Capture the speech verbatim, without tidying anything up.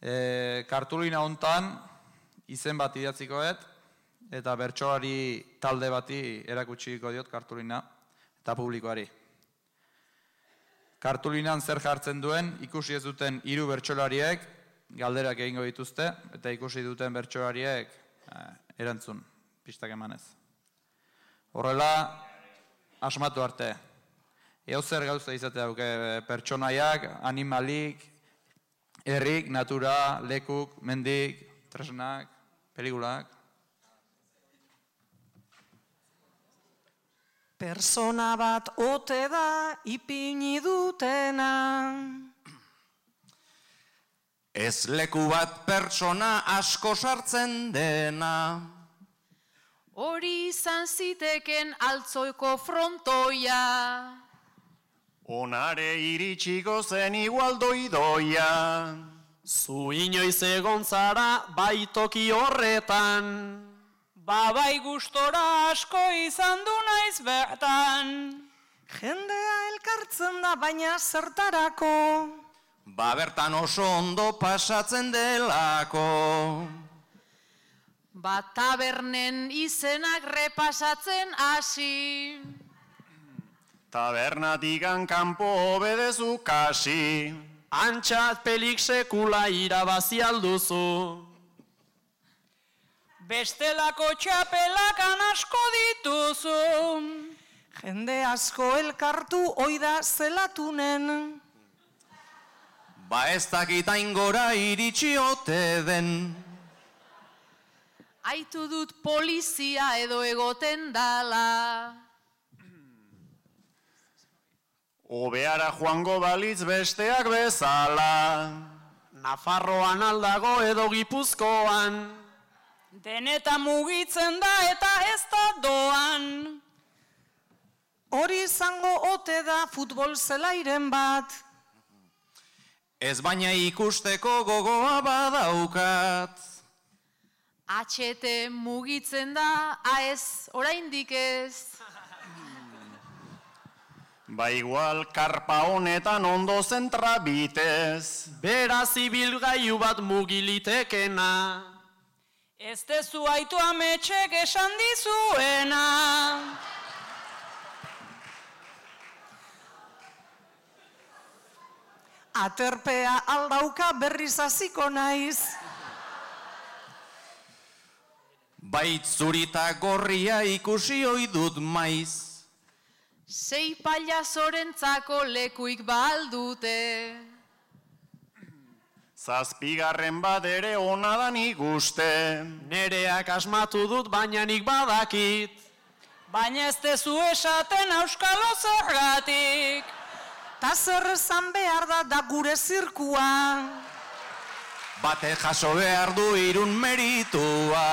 E, kartulina hontan izen bat idatzikoet, eta bertsolari talde bati erakutsiko diot kartulina, eta publikoari. Kartulinan zer jartzen duen, ikusi ez duten hiru bertsolariek galderak egingo dituzte, eta ikusi duten bertsolariek eh, erantzun, pistak emanez. Horrela, asmatu arte. Eo zer gauza izatea duke, pertsonaiak, animalik, herrik, natura, lekuk, mendik, tresnak, pelikulak. Persona bat ote da ipini dutena. Ez leku bat pertsona asko sartzen dena. Hori izan ziteken altzoiko frontoia. Onare iritsiko zen igual doidoia. Zu inoiz egon zara baitoki horretan. Babai gustora asko izan du naiz bertan. Jendea elkartzen da baina zertarako. Ba bertan oso ondo pasatzen delako. Ba tabernen izenak repasatzen hasi. Tabernatikan kanpo obedezu kasi. Antxat pelik sekula irabazi alduzu. Bestelako txapelakan asko dituzu. Jende asko elkartu oida zelatunen. Ba ez dakitain gora iritsi ote den. Aitu dut polizia edo egoten dala. Obeara joango balitz besteak bezala. Nafarroan aldago edo Gipuzkoan. Deneta mugitzen da eta ez da doan. Hori izango ote da futbol zelairen bat. Ez baina ikusteko gogoa badaukat. H T mugitzen da, aez, oraindik ez. Ba igual karpa honetan ondo zentra bitez. Beraz ibilgailu bat mugilitekena. Ez dezu aitu ametxek esan dizuena. Aterpea aldauka berriz hasiko naiz. Bait zurita gorria ikusi ohi dut maiz. Sei pailazorentzako lekuik baldute. Zazpigarren bat ere ona da nik uste. Nereak asmatu dut baina nik badakit. Baina ez dezu esaten auskalo zergatik. Ta zer esan behar da da gure zirkua. Bate jaso behar du irun meritua.